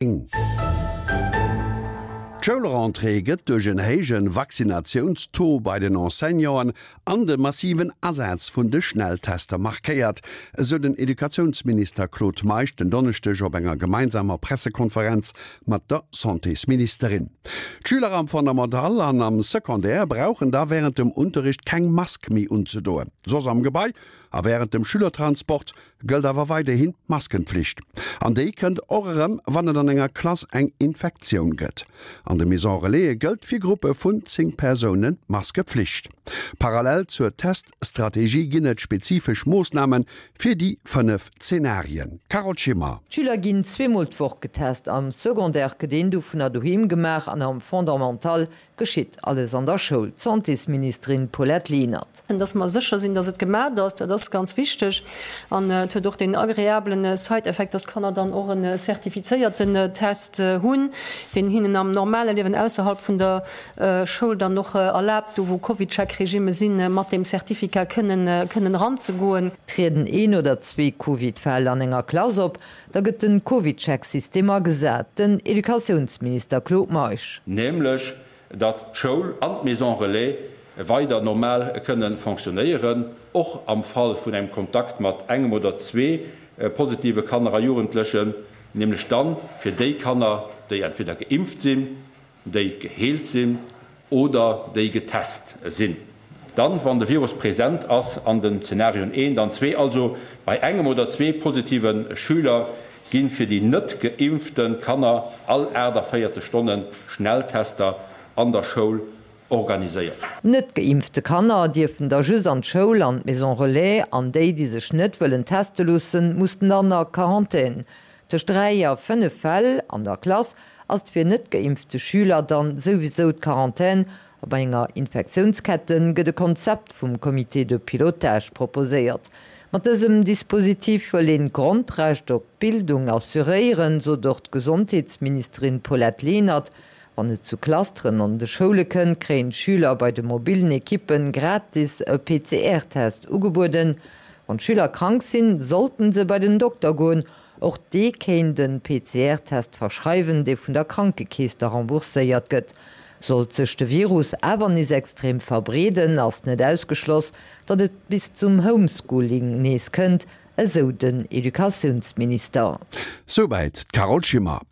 D'Schoulrentrée gëtt duerch en héije Vaccinatiounstaux bei den Enseignanten an de massiven Asaz vun de Schnelltester markéiert, esou den Educatiounsminister Claude Meisch den Donneschdeg op enger gemeinsamer Pressekonferenz mat der Santésministerin. D'Schüler am Fondamental an am Secondaire brauchen da wärend dem Unterricht keng Mask méi unzedoen. Soss am Gebai a wärend dem Schülertransport gëllt awer weiderhin d'Maskenpflicht. An déi kënnt och erëm, wann et an enger Klass eng Infektioun gëtt. An de Maison Relaise gëllt fir Gruppe vun 10 Persounen d'Maskepflicht. Parallel zur Teststrategie ginn et spezifesch Moossname fir déi 5 Zenarien. Carole Schimmer. D'Schüler ginn zweemol d'Woch getest. Am Secondaire gëtt een dovunner doheem gemaach an am Fondamental Geschitt alles an der Schoul? D'Santésministerin Paulette Lenert. Dass mer sécher sinn, dass et gemat ass, dat ass ganz wichteg. An et huet och deen agreablen Side-Effekt, dass d'Kanner dann och e zertifizéierten Test hunn, deen hinnen am normale Liewen ausserhalb vun der Schoul dann och erlaabt, do wou CovidCheck-Regimme sinn, mat deem Certificat kënnen kënnen eranzegoen. Trieden een oder zwee Covid-Fäll an enger Klass op, Da gëtt den CovidCheck-System agesat, den Educatiounsminister Claude Meisch. Nämlech datt d'Schoul an d'Maison Relais weider normal kënne fonctionnéieren, och am Fall vun engem Kontakt mat engem oder zwee positive Kanner a Jugendlechen, nämlech dann fir déi Kanner, déi entweder geimpft sinn, déi geheelt sinn oder déi getest sinn. Dann, wann de Virus present ass an den Zenarioen eent an zwee, also bei engem oder zwee positive Schüler, gi fir déi net geimpfte Kanner all 48 Stonne Schnelltester an der Schoul organiséiert. Net geimpfte Kanner dierfen da just an d'Schoul an d'Maison Relais an déi, déi sech net wëllen teste loossen, mussen dann a Quarantän. Tëscht 3 a 5 Fäll an der Klass ass et fir net geimpfte Schüler dann souwisou d'Quarantän a bei enger Infektiounskette gëtt e Konzept vum Comité de pilotage proposéiert. Mat dësem Dispositif wëll een d'Grondrecht op Bildung assuréieren, sot och d'Gesondheetsministerin Paulette Lenert. Wann et zu Clusteren an de Schoule kënnt, kréien d'Schüler bei de mobillen Ekippen gratis e PCR-Test ugebueden. Wann d'Schüler krank sinn, sollten se bei den Dokter goen. Och dee kéint en PCR-Test verschreiwen, dee vun der Krankekeess da rembourséiert gëtt. Sollt sech de Virus awer nees extrem verbreeden, ass net ausgeschloss, datt et bis zum Homeschooling nees kënnt, esou den Educatiounsminister. Souwäit d'Carole Schimmer.